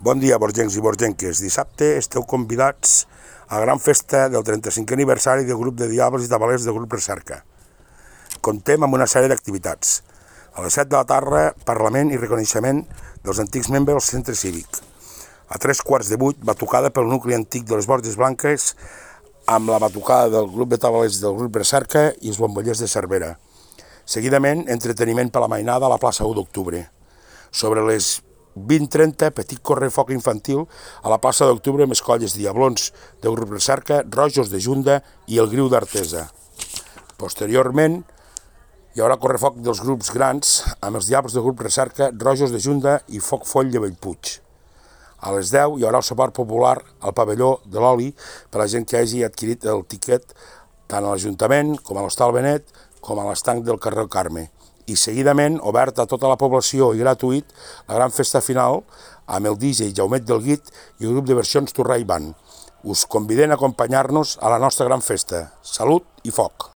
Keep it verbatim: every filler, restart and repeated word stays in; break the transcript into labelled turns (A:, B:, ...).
A: Bon dia, borgencs i borgenques. Dissabte esteu convidats a la gran festa del trenta-cinquè aniversari del grup de Diables i Tabalers del grup Recerca. Contem amb una sèrie d'activitats. A les set de la tarda, parlament i reconeixement dels antics membres del centre cívic. A tres quarts de vuit, batucada pel nucli antic de les Borges Blanques amb la batucada del grup de Tabalers del grup Recerca i els bombollers de Cervera. Seguidament, entreteniment per la mainada a la plaça u d'octubre. Sobre les vint trenta, petit correfoc infantil a la plaça d'octubre amb escolles Diablons del grup Recerca, Rojos de Junda i el Griu d'Artesa. Posteriorment, hi haurà correfoc dels grups grans amb els Diables del grup Recerca, Rojos de Junda i Foc Foll de Bellpuig. A les deu hi haurà el sopar popular al pavelló de l'oli per a la gent que hagi adquirit el tiquet tant a l'Ajuntament com a l'Hostal Benet com a l'estanc del carrer Carme. I seguidament, obert a tota la població i gratuït, la gran festa final amb el D J Jaumet del Guit i el grup de versions Torrà i Band. Us convidem a acompanyar-nos a la nostra gran festa. Salut i foc!